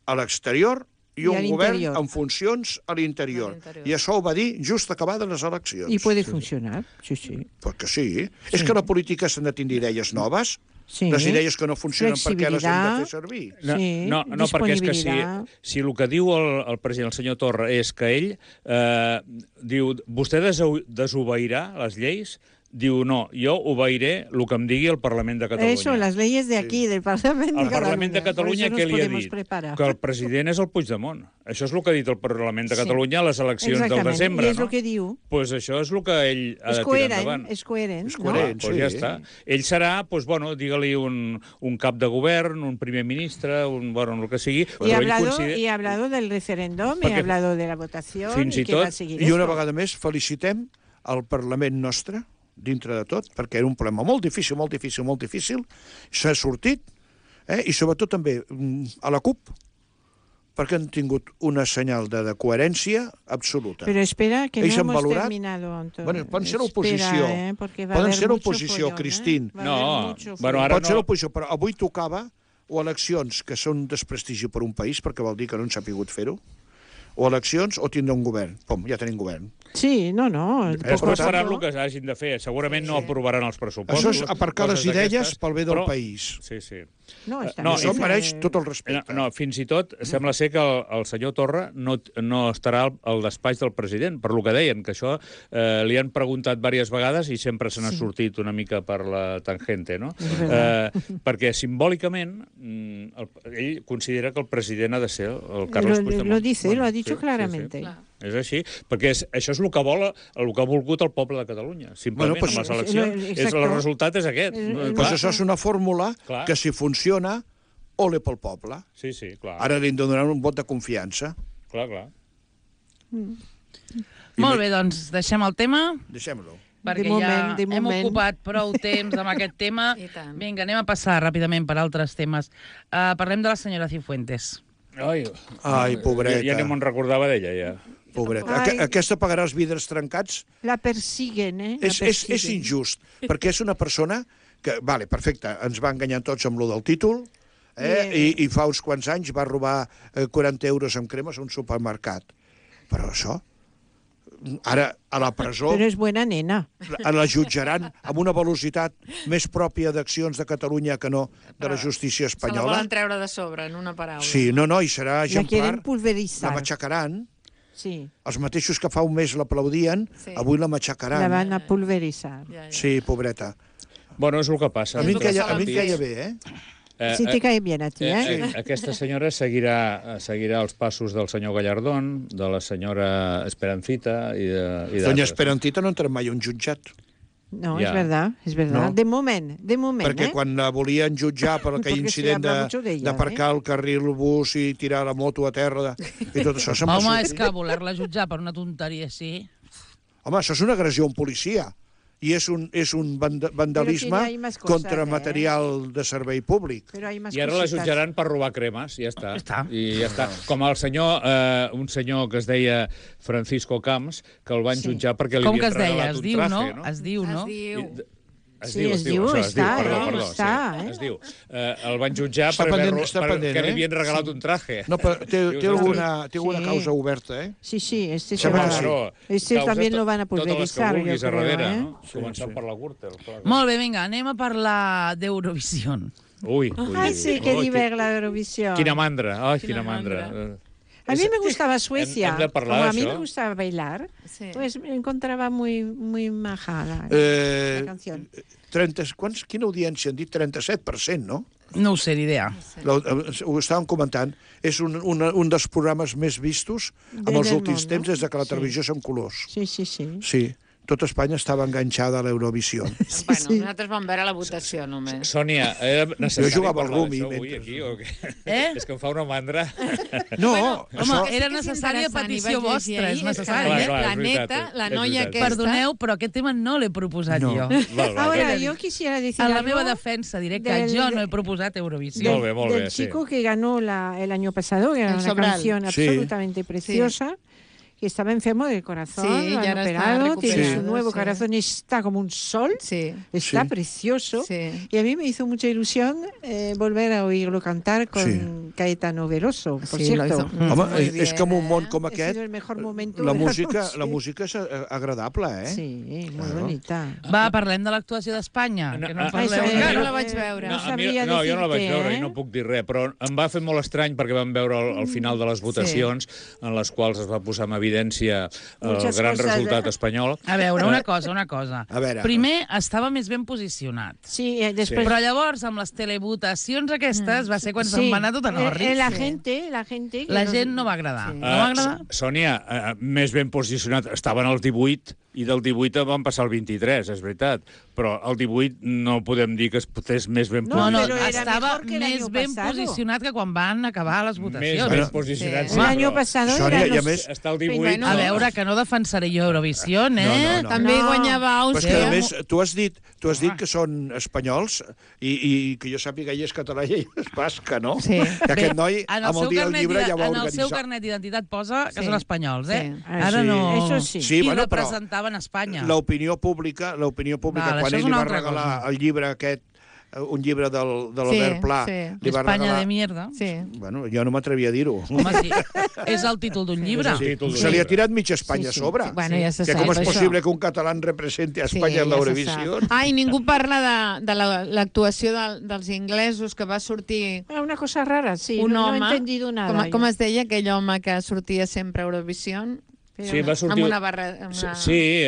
a l'exterior i un govern en funcions a l'interior. I això ho va dir just acabades les eleccions. I puede funcionar, sí. Perquè sí. És que la política s'han de tindre idees noves. Les idees que no funcionen, per què les hem de fer servir? No, perquè és que si el que diu el president, el senyor Torra, és que ell diu, vostè desobeirà les lleis, diu, no, jo obeiré el que em digui el Parlament de Catalunya. Eso, las leyes de aquí, del Parlament de Catalunya. El Parlament de Catalunya, què li ha dit? Que el president és el Puigdemont. Això és el que ha dit el Parlament de Catalunya a les eleccions del desembre, no? I és el que diu. Doncs això és el que ell ha de tirar endavant. És coherent. Doncs ja està. Ell serà, digue-li un cap de govern, un primer ministre, el que sigui. Y ha hablado del referéndum, y ha hablado de la votación, i que va seguir. I una vegada més felicitem el Parlament nostre, dintre de tot, perquè era un problema molt difícil, s'ha sortit, i sobretot també a la CUP, perquè han tingut una senyal de coherència absoluta. Però espera, que no hemos terminado, Antonio. Bueno, poden ser l'oposició. Poden ser l'oposició, Cristín. No, pot ser l'oposició, però avui tocava o eleccions que són un desprestigi per un país, perquè vol dir que no han sapigut fer-ho, o eleccions o tindre un govern. Pum, ja tenim govern. Sí, no. Després faran el que hagin de fer. Segurament no aprovaran els pressupostos. Això és aparcar les idees pel bé del país. Sí. No, això mereix tot el respecte. No, fins i tot sembla ser que el senyor Torra no estarà al despatx del president, per lo que deien, que això li han preguntat diverses vegades i sempre se n'ha sortit una mica per la tangente, no? Perquè simbòlicament ell considera que el president ha de ser el Carles Puigdemont. Lo ha dicho claramente. Sí. És així, perquè això és el que vol, el que ha volgut el poble de Catalunya, simplement, amb les eleccions. El resultat és aquest. Doncs això és una fórmula que, si funciona, ole pel poble. Sí, clar. Ara li donaran un vot de confiança. Clar. Molt bé, doncs deixem el tema. Deixem-lo. Perquè hem ocupat prou temps amb aquest tema. Vinga, anem a passar ràpidament per altres temes. Parlem de la senyora Cifuentes. Ai, pobreta. Ja no me'n recordava d'ella, ja. Pobreta. Aquesta pagarà els vidres trencats. La persiguen, És injust, perquè és una persona que, vale, perfecte, ens va enganyar tots amb lo del títol, i fa uns quants anys va robar 40 euros amb cremes a un supermercat. Però això, ara a la presó... Però és bona nena. La jutjaran amb una velocitat més pròpia d'accions de Catalunya que no de la justícia espanyola. Se la volen treure de sobre, en una paraula. Sí, no, i serà exemplar. La quieren pulverizar. La matxacaran. Sí. Els mateixos que fa un mes l'aplaudien, avui la matxacaran. La van a pulverizar. Sí, pobreta. Bueno, és el que passa. A mi em caia bé, Sí, te cae bien a ti, Aquesta senyora seguirà els passos del senyor Gallardón, de la senyora Esperancita i d'altres. Doña Esperancita no entra mai a un jutjat. No, és verdad. No. De moment. Perquè quan la volien jutjar per aquell incident d'aparcar el carril bus i tirar la moto a terra i tot això... Home, és que voler-la jutjar per una tonteria així... Home, això és una agressió a un policia. I és un vandalisme contra material de servei públic. I ara la jutjaran per robar cremes, ja està. I ja està. Com el senyor, un senyor que es deia Francisco Camps, que el van jutjar perquè li havien regalat un traje, no? Es diu, no? Es diu. El van jutjar perquè li havien regalat un traje. No, però té alguna causa oberta, Sí, este també lo van a pulverizar. Totes les que vulguis a darrere, no? Començant per la Gürtel. Molt bé, vinga, anem a parlar d'Eurovision. Ui. Sí, que divert la Eurovisión. Quina mandra, quina mandra. A mí me gustaba Suecia. Como a mí me gustaba bailar, pues me encontraba muy maja la canción. Quina audiència han dit? 37%, no? No ho sé, ni idea. Ho estàvem comentant. És un dels programes més vistos en els últims temps des que la televisió són colors. Sí. Sí. tota Espanya estava enganxada a l'Eurovisió. Bueno, nosaltres vam veure la votació, només. Sònia, era necessari jugava al parlar rugby d'això avui, mentre- aquí, o què? Eh? És que em fa una mandra. No, Home, això... era sí que és necessària interessant, i petició vaig llegir vostra, ahir, és que necessari. Clar, Eh? clar, La és neta, veritat, la és noia veritat. aquesta... Perdoneu, però aquest tema no l'he proposat No. jo. Val, Ahora, yo quisiera decir En la algo meva defensa diré que del- jo no he proposat Eurovisió. Molt bé, molt bé, del sí. chico que ganó el año pasado, que era El una Sobral. canción Sí. absolutamente preciosa, que estaba enfermo del corazón, Sí, lo ya han ahora está operado, tiene recuperado, su nuevo sí. corazón, está como un sol, Sí, está Sí. precioso. sí. Y a mí me hizo mucha ilusión volver a oírlo cantar con Caetano Veloso, por Sí, lo cierto. hizo. Home, Muy és que en un bien, món com Ha aquest, sido el mejor momento la de música noche. és agradable, eh? Sí, muy Claro. bonita. Va, parlem de l'actuació d'Espanya, No, que no en ah, parleu això encara. jo no la vaig veure. No a mi- sabria no, jo no la vaig dir-te, veure eh? i no puc dir res, però em va fer molt estrany perquè vam veure al final de les votacions en les quals es va posar en evidència el Muchas gran cosas, resultat espanyol. A veure, una cosa. A veure. Primer, estava més ben posicionat. Sí, después... Però llavors, amb les televotacions aquestes, va ser quan se'n va anar tot en orris. La Sí. gente... La gent no va agradar. Sí. No va agradar? Sònia, més ben posicionat, estaven al 18 i del 18 van passar al 23, és veritat. Però el 18 no podem dir que es posés més ben No, posicionat. pero era estava mejor que el més año ben pasado. posicionat que quan van acabar les Més votacions. ben posicionat. Sí. sí, El año però pasado Sònia, eran i a los... més, està al 18. Bueno, A veure, que no defensaré jo Eurovisió, eh? No. També No. guanyava però és que, Àustria. a més, tu has dit que són espanyols i que jo sàpiga ell és català i ell és basca, no? Sí. Que aquest noi, en amb el dia del llibre, ja va en el seu organitzar. carnet d'identitat posa que Sí. són espanyols, eh? Sí. Ara Sí. no... Eso sí. Sí, I bueno, però representaven Espanya. l'opinió pública, Val, quan això és ell li una va altra regalar cosa. el llibre aquest, un llibre de l'Albert Pla, sí. li va Espanya regalar... de mierda. Sí. Bueno, jo no m'atrevia a dir-ho. Home, sí. És el títol d'un llibre. Sí. títol d'un Se li ha llibre. tirat mitja Espanya Sí, sí. a sobre. Bueno, ja se Que sap, com és això. possible que un català representi a Espanya en l'Eurovisió? Ah, i ningú parla de l'actuació dels inglesos, que va sortir Una cosa rara, sí. un no home... he entendido nada. com es deia aquell home que sortia sempre a Eurovisió? Sí, va sortir... Amb una barra... Amb una... Sí,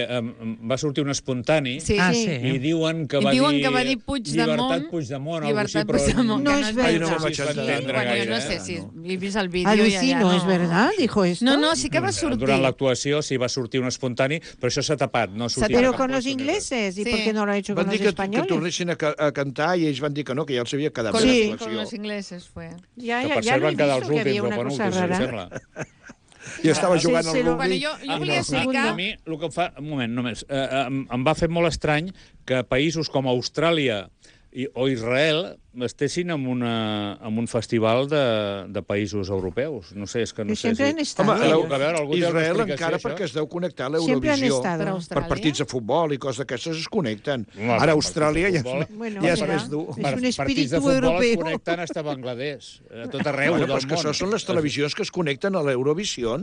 va sortir un espontani Sí, Ah, sí. sí. i diuen que I va diuen dir... que va dir Puigdemont. Llibertat Puigdemont, o alguna cosa Llibertat així, però... Puigdemont, No que és es verdad. veu. no vaig si es va entendre. entendre Bueno, jo gaire, no sé eh? si No. he vist el vídeo Alucino, ja ¿es verdad? Dijo esto. No, sí que va sortir. Durant l'actuació sí va sortir un espontani, però això s'ha tapat, no sortia. Pero cap con los puesto ni res. ingleses. ¿Y Sí. por qué no lo ha hecho Van con dir los que españoles? tornessin a cantar i ells van dir que no, que ja els havia quedat Con, bé Sí. la con actuació. los ingleses fue. Ya, Que ya, per ya cert lo he van quedar visto els que había últims o una cosa penúltims, em rara. sembla. I estava Sí, jugant al se lo- rugby. Bueno, jo I volia no. explicar... A mi, el que em fa... Un moment, només. Em va fer molt estrany que països com Austràlia o Israel estessin en un festival de països europeus. No sé, és que no Pero sé siempre han si... estado. Home, Algú- a veure, algú té alguna Israel explicació, encara això? perquè es deu connectar a Siempre han l'Eurovisió. estado. Per Per Austràlia. partits de futbol i coses d'aquestes es connecten. Home, Ara per Austràlia ja, partits de futbol. Bueno, ja és mira. més dur. És un Partits de espíritu futbol europeu. es connecten hasta Bangladesh, a tot arreu Bueno, del però és que món. això són les televisions que es connecten a l'Eurovisió.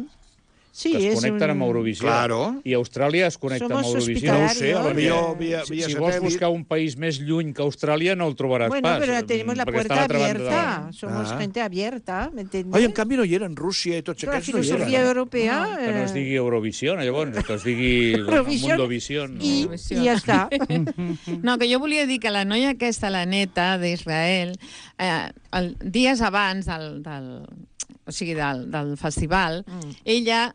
Sí, Que es es connecten amb un... Eurovisió. Claro. I Austràlia es connecta amb Somos Eurovisió. No ho hospitalarios. sé, a lo millor via Si vols satèl·lit. buscar un país més lluny que Austràlia, no el trobaràs Bueno, pas. pero tenemos la perquè està puerta a l'altra banda de abierta. la- Somos Ah. gente abierta, ¿me entiendes? Oi, en canvi no hi eren Rússia i tots Pero la aquests no hi filosofía eren. europea... Que no es digui Eurovisió, llavors, que es digui Eurovisió Mundovisió. No. y ya está. No, que jo volia dir que la noia aquesta, la neta d'Israel, dies abans del festival, ella...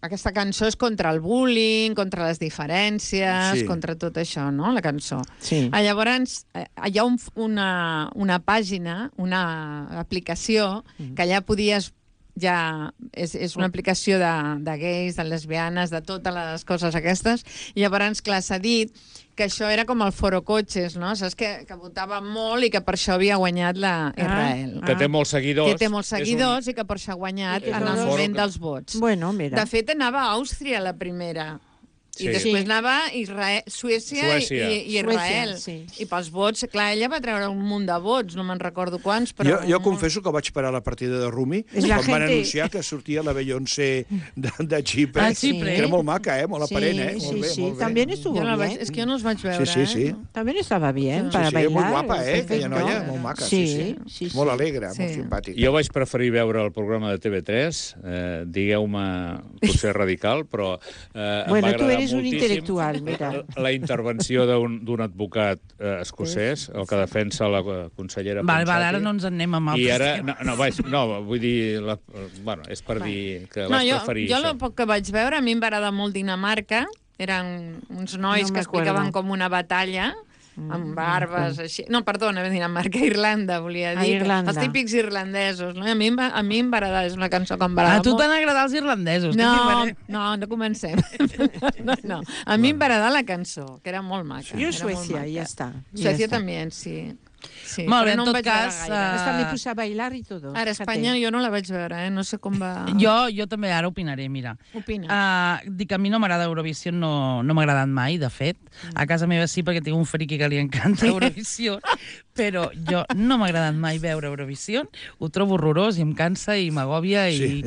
aquesta cançó és contra el bullying, contra les diferències, Sí. contra tot això, no?, la cançó. Sí. Llavors, hi ha una pàgina, una aplicació, que allà podies és una aplicació de gais, de lesbianes, de totes les coses aquestes, i llavors, clar, s'ha dit que això era com el Foro Cotxes, no? Saps que votava molt i que per això havia guanyat la Israel. Que té molts seguidors. Que té molts seguidors i que per això ha guanyat És en un el foro moment que- dels vots. Bueno, mira. De fet, anava a Àustria la primera. Sí. I després Sí. anava a Suècia i Israel. Suècia, sí. I pels vots, clar, ella va treure un munt de vots, no me'n recordo quants, però... Jo confesso que vaig parar la partida de Rumi És la quan van gente- anunciar que sortia la Beyoncé de Xipre. Ah, Xipre. Que era molt maca, molt aparent, Sí, molt bé, sí, molt bé. también estuvo Jo no la bien. vaig, és que jo no els vaig veure, Sí, sí, sí. También estava bien Sí, para Sí, bailar. molt guapa, aquella perfecto. noia, molt maca. Sí, sí. sí. Molt alegre, Sí. molt simpàtica. Jo vaig preferir veure el programa de TV3, digueu-me, potser radical, però em Bueno, va tú agradar eres un moltíssim intelectual, mira. la intervenció d'un advocat escocès, el que defensa la consellera Val, Ponsati. ara no ens en anem amb I altres ara, no, vull dir, bueno, és per dir que No, vaig preferir jo això. el poc que vaig veure, a mi em va agradar molt Dinamarca, Eren uns nois que explicaven com una batalla amb barbes, així... No, perdona, a Irlanda, volia dir. Els típics irlandesos, no? A mi em va agradar, és una cançó que em va agradar molt. A tu t'han agradat els irlandesos. No comencem. No. A mi em va agradar la cançó, que era molt maca. Jo Suècia, ja està. Suècia també, sí. Sí, molt bé, en tot cas... Hasta me puse a bailar i tot. Ara, Espanya jo no la vaig veure, no sé com va... Jo també ara opinaré, mira. Opina. Dic que a mi no m'agrada Eurovisió, no m'ha agradat mai, de fet. A casa meva sí, perquè tinc un friqui que li encanta Eurovisió, però jo no m'ha agradat mai veure Eurovisió, ho trobo horrorós i em cansa i m'agòbia i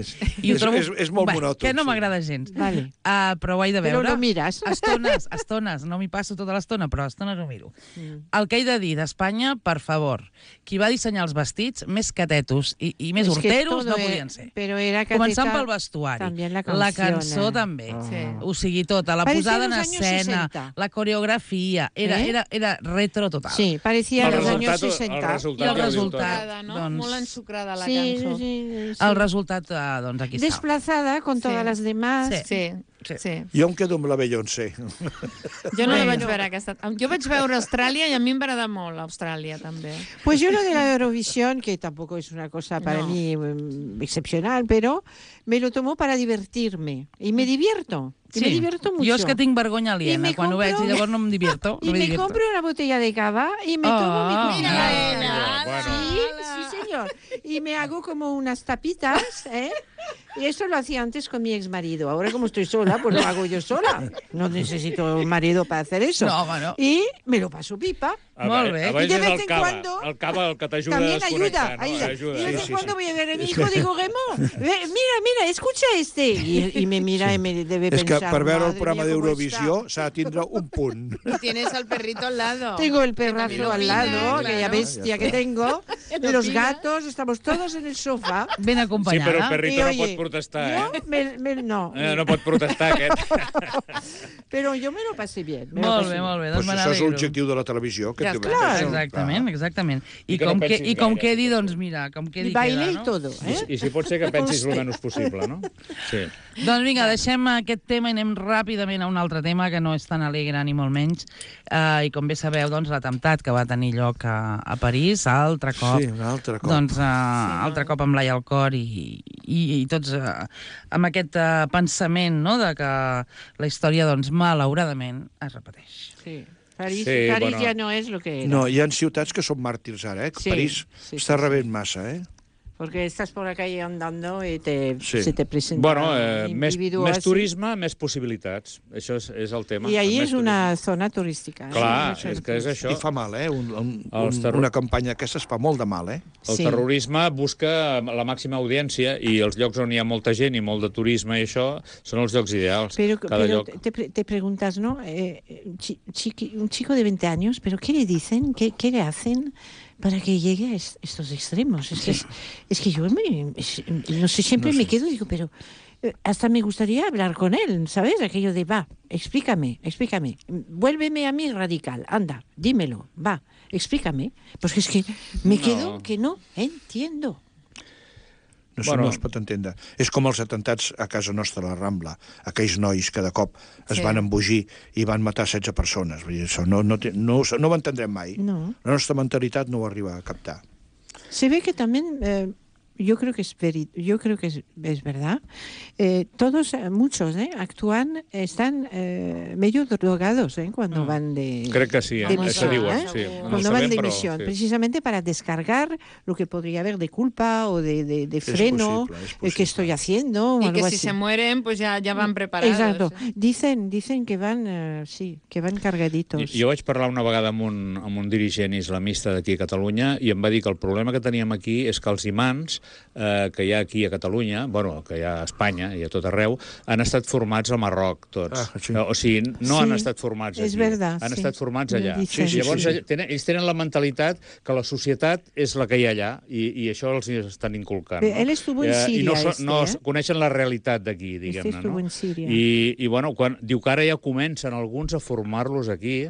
ho trobo... És molt monòton. Que no m'agrada gens. Però ho he de veure. Però no mires. Estones, no m'hi passo tota l'estona, però estones ho miro. El que he de dir d'Espanya, per favor, qui va dissenyar els vestits, més catetos i més horteros no podien ser. Començant pel vestuari. La cançó també. O sigui, tota, la posada en escena, la coreografia, era retro total. Sí, parecía los años 60. I el resultat, molt ensucrada la cançó. El resultat, doncs, aquí està. Desplazada con todas las demás. Sí. Jo em quedo amb la Beyoncé. Jo no la vaig veure aquesta. Jo vaig veure Austràlia i a mi em va agradar molt Austràlia també. Pues yo lo de la Eurovisión, que tampoco es una cosa para mí excepcional, pero me lo tomo para divertirme. Y me divierto. Y me divierto mucho. Jo és que tinc vergonya aliena quan ho veig i llavors no em divierto. Y me compro una botella de cava y me tomo mi... Mira, sí, señor. Y me hago como unas tapitas, Y eso lo hacía antes con mi exmarido. Ahora como estoy sola, pues lo hago yo sola. No necesito un marido para hacer eso. Y me lo paso pipa. Molt bé. Y de vez en cuando... El cava, el que t'ajuda a desconnectar. También ayuda. Y de vez en cuando voy a ver a mi hijo, digo, Remo, mira, escucha este. Y me mira y me debe pensar... És que per veure el programa d'Eurovisió s'ha de tindre un punt. Tienes el perrito al lado. Tengo el perrazo al lado, aquella bestia que tengo. Los gatos, estamos todos en el sofá. Ben acompanyada. Sí, però el perrito no pot protestar, No. No pot protestar, aquest. Però jo me lo pasé bien. Molt bé. Pues això és l'objectiu de la televisió. Exactament. I com quedi, doncs mira, com quedi queda, no? Baile i tot, I si pot ser que pensis el menys possible, no? Sí. Doncs vinga, deixem aquest tema i anem ràpidament a un altre tema que no és tan alegre ni molt menys. I com bé sabeu, doncs, l'atemptat que va tenir lloc a París, altre cop. Sí, un altre cop. Doncs altre cop amb l'ai al cor i tots amb aquest pensament, no?, de que la història, doncs, malauradament, es repeteix. Sí. París ja no és el que era. No, hi ha ciutats que són màrtirs ara, París està rebent massa, Porque estás por la calle andando y se te presenta més turisme, més possibilitats. Això és el tema. I ahí és una zona turística. Clar, és que és això. I fa mal, una campanya aquesta es fa molt de mal, El terrorisme busca la màxima audiència i els llocs on hi ha molta gent i molt de turisme i això són els llocs ideals. Pero te preguntas, ¿no? Un chico de 20 años, ¿pero qué le dicen? ¿Qué le hacen para que llegue a estos extremos? Es que yo no sé, siempre me quedo y digo, pero hasta me gustaría hablar con él, ¿sabes? Aquello de, va, explícame, vuélveme a mí radical, anda, dímelo, va, explícame. Pues es que me quedo que no entiendo. No es pot entendre. És com els atemptats a casa nostra, a la Rambla. Aquells nois que de cop es van embogir i van matar 16 persones. Vull dir, això no ho entendrem mai. No. La nostra mentalitat no ho arriba a captar. Se ve que también... Yo creo que es verdad. Muchos actúan, están medio drogados cuando van de... Crec que sí, misión, cuando van de misión, precisamente para descargar lo que podría haber de culpa o de freno, es posible. Que estoy haciendo. Y algo que así. si se mueren, pues ya van preparados. Exacto. Dicen que van, que van cargaditos. Jo vaig parlar una vegada amb un dirigent islamista d'aquí a Catalunya i em va dir que el problema que teníem aquí és que els imams que hi ha aquí a Catalunya, que hi ha a Espanya i a tot arreu, han estat formats al Marroc, tots. O sigui, no han estat formats aquí. Han estat formats allà. Llavors, ells tenen la mentalitat que la societat és la que hi ha allà i això els estan inculcant. Él estuvo en Síria. I no coneixen la realitat d'aquí, diguem-ne. Estuvo en Síria. I diu que ara ja comencen alguns a formar-los aquí.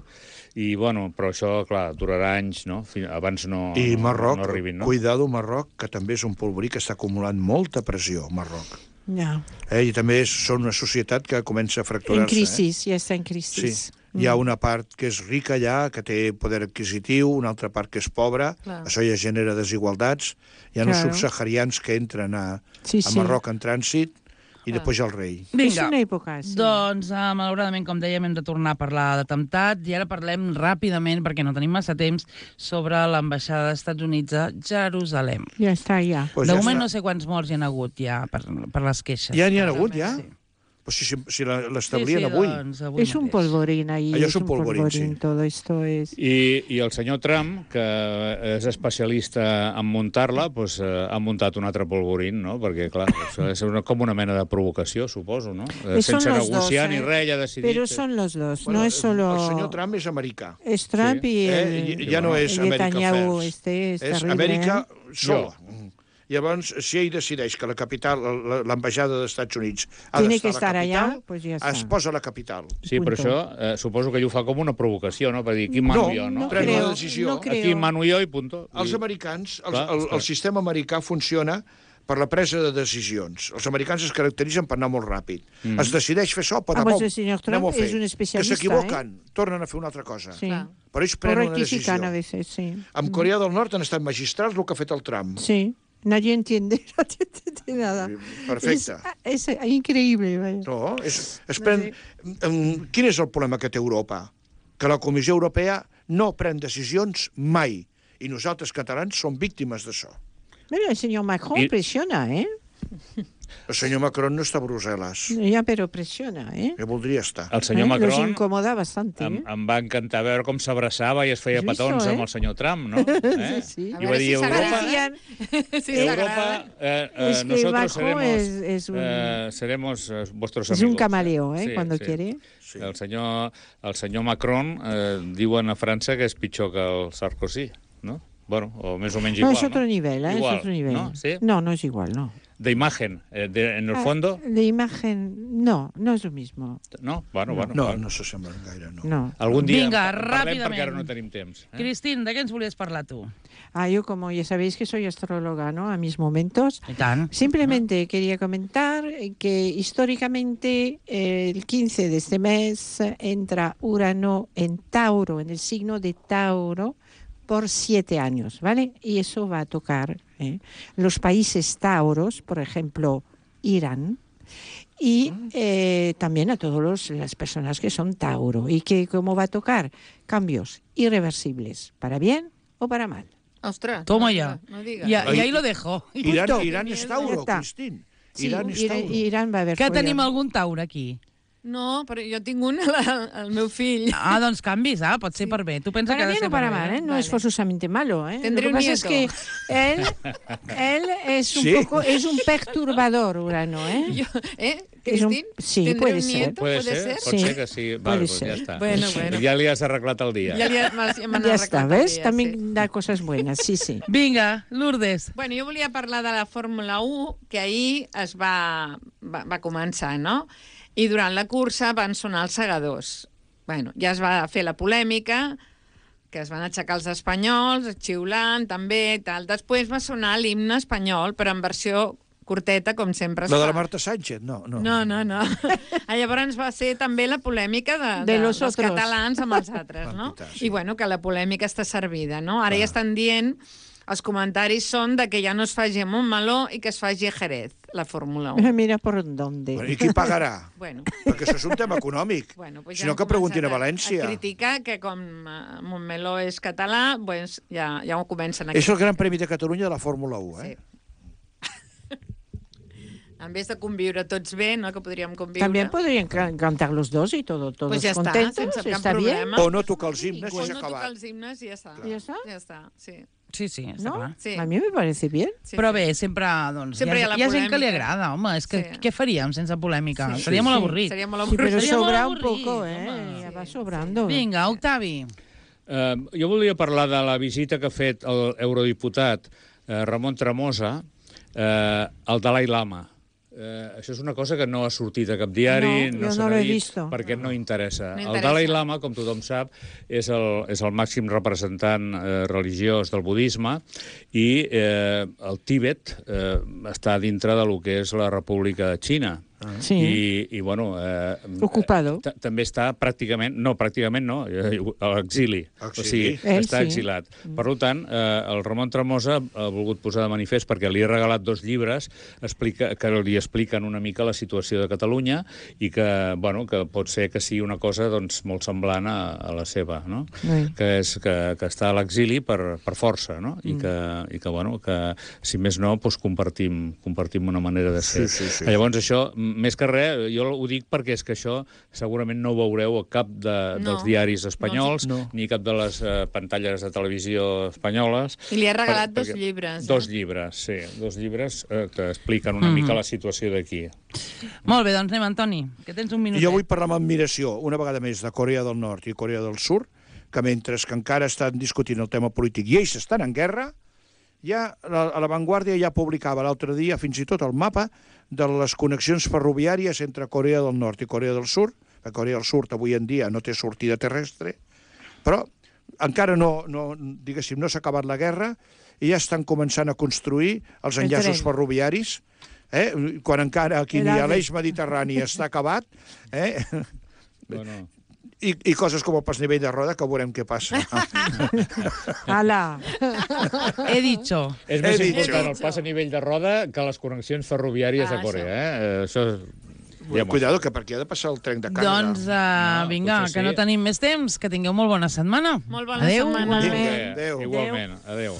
I, però això, clar, durarà anys, no? Abans no I Marroc, no arribin, no? Cuidado, Marroc, que també és un polvorí que està acumulant molta pressió, Marroc. I també són una societat que comença a fracturar-se. En crisi, ja està en crisi. Sí. Hi ha una part que és rica allà, que té poder adquisitiu, una altra part que és pobra, això ja genera desigualtats. Hi ha uns subsaharians que entren a Marroc en trànsit, i després el rei. És una època, sí. Doncs, malauradament, com dèiem, hem de tornar a parlar d'atemptat i ara parlem ràpidament, perquè no tenim massa temps, sobre l'ambaixada dels Estats Units a Jerusalem. Ja està, ja. De moment no sé quants morts hi ha hagut ja per les queixes. Ja n'hi ha hagut, ja? Sí. Pues si l'establien avui. Doncs, avui és un polvorín ahí. Allò és un polvorín, sí. Todo esto es... I el senyor Trump, que és especialista en muntar-la, pues, ha muntat un altre polvorín, no? Perquè, clar, és com una mena de provocació, suposo, no? Sense negociar ni res, ja decidit. Però són los dos, no és solo... El senyor Trump és americà. És Trump i ja no és America First. És Amèrica sola. Llavors, si ell decideix que la capital, l'ambaixada dels Estats Units ha d'estar a la capital, pues ja es posa a la capital. Sí, però això suposo que ell ho fa com una provocació, no? Per dir, aquí mano jo, no? Pren una decisió. Aquí mano jo i punto. Els americans, el sistema americà funciona per la presa de decisions. Els americans es caracteritzen per anar molt ràpid. Es decideix fer això, el senyor Trump és un especialista. Que s'equivoquen, tornen a fer una altra cosa. Sí. Però ells prenen una decisió. A veces, sí. Amb Corea del Nord han estat magistrals el que ha fet el Trump. Sí. Nadie entiende nada. Perfecte. És increïble. No, quin és el problema que té Europa? Que la Comissió Europea no pren decisions mai. I nosaltres, catalans, som víctimes d'això. Mira, el senyor Macron pressiona, El senyor Macron no està a Brussel·les. Ja, però pressiona, Que voldria estar. El senyor Macron los incomoda bastante. Em va encantar veure com s'abraçava i es feia petons amb el senyor Trump, no? Sí. I va dir, Europa, nosotros seremos vuestros amigos. Es un camaleo, cuando quiere. Sí. El senyor Macron diuen a França que és pitjor que el Sarkozy, no? Bueno, o més o menys igual. No, es otro nivel, es otro nivel. ¿No? ¿Sí? No es igual, no. De imagen, en el fondo... De imagen, no es lo mismo. No? Bueno. No s'assemblen gaire, no. Algun dia parlem perquè ara no tenim temps. Cristín, ¿de qué ens volies parlar tú? Yo, como ya sabéis que soy astróloga, ¿no? A mis momentos. ¿Y tan? Simplemente quería comentar que históricamente el 15 de este mes entra Urano en Tauro, en el signo de Tauro, por 7 años, ¿vale? Y eso va a tocar los países tauros, por ejemplo, Irán, y también a todas las personas que son Tauro. ¿Y que cómo va a tocar? Cambios irreversibles, para bien o para mal. Ostras. Toma ya. No digas. Y ahí lo dejo. Irán és Tauro, Cristín. Irán és Tauro. Irán va a haver... Que tenim algun Tauro aquí? No, però jo tinc un, el meu fill. Doncs canvis, pot ser per bé. Tu pensa para que bien o para mal, no es forzosamente malo. Tendré Lo que pasa un es que él es un poco, es un perturbador, Urano, Cristín? Sí, puede ser. Puede ser, pot ser que sí. Vale, pues ya está. Bueno. Ya li has arreglat el dia. Ya está, ¿ves? También da cosas buenas, sí. Vinga, Lourdes. Bueno, jo volia parlar de la Fórmula 1, que ahir es va començar, no? I durant la cursa van sonar els segadors. Bueno, ja es va fer la polèmica, que es van aixecar els espanyols, xiulant, també, tal. Després va sonar l'himne espanyol, però en versió curteta, com sempre es fa. La de la Marta Sánchez? No. Llavors va ser també la polèmica dels catalans amb els altres, no? I bueno, que la polèmica està servida, no? Ara ja estan dient... Els comentaris són de que ja no es faci a Montmeló i que es faci a Jerez, la Fórmula 1. Mira por dónde. I qui pagarà? Bueno. Perquè això és un tema econòmic. Pues si no, que preguntin a València. A criticar que com Montmeló és català, pues ja ho comencen aquí. És el Gran Premi de Catalunya de la Fórmula 1, Sí. En vez de conviure tots bé, ¿no? Que podríem conviure. También podrían cantar los dos y todos pues ya contentos. Sense cap ¿Está problema. Bien? O no tocar els himnes i s'ha acabat. O no tocar els himnes i ja està. ¿Ya está? Ja està, sí. Sí, està ¿No? clar. Sí. A mi me parece bien. Sí, Però bé, sempre, doncs, sempre hi ha gent que li agrada, home. És que què faríem sense polèmica? Seria molt avorrit. Seria molt Sí, avorrit. pero Seria sobra molt un poco, avorrit, Ya va sobrando. Vinga, Octavi. Jo volia parlar de la visita que ha fet el eurodiputat Ramon Tremosa al Dalai Lama. Això és una cosa que no ha sortit a cap diari, no se n'ha dit, perquè no interessa. El Dalai Lama, com tothom sap, és el màxim representant religiós del budisme i el Tíbet està dintre del que és la República de Xina. I bueno... Ocupado. També està pràcticament no, a l'exili. O sigui, està exilat. Per tant, el Ramon Tremosa ha volgut posar de manifest, perquè li he regalat 2 llibres que li expliquen una mica la situació de Catalunya i que pot ser que sigui una cosa molt semblant a la seva, no? Que està a l'exili per força, no? I que, si més no, compartim una manera de ser. Llavors, això, més que res, jo ho dic perquè és que això segurament no ho veureu a cap dels diaris espanyols, ni cap de les pantalles de televisió espanyoles. I li ha regalat 2 llibres. 2 llibres, sí. 2 llibres que expliquen una mica la situació d'aquí. Molt bé, doncs anem, Antoni, que tens un minutet. Jo vull parlar amb admiració, una vegada més, de Corea del Nord i Corea del Sud, que mentre que encara estan discutint el tema polític i ells estan en guerra, ja a La Vanguardia ja publicava l'altre dia fins i tot el mapa de les connexions ferroviàries entre Corea del Nord i Corea del Sud. Corea del Sud avui en dia no té sortida terrestre, però encara no s'ha acabat la guerra i ja estan començant a construir els enllaços ferroviaris, quan encara aquí ni l'eix mediterrani està acabat, i coses com el pas nivell de roda, que veurem què passa. Ala. He dicho. És més important el pas a nivell de roda que les connexions ferroviàries a Corea. Això Cuidado, que per aquí ha de passar el tren de càrrega. Doncs vinga, que no tenim més temps, que tingueu molt bona setmana. Molt bona setmana. Igualment. Adéu.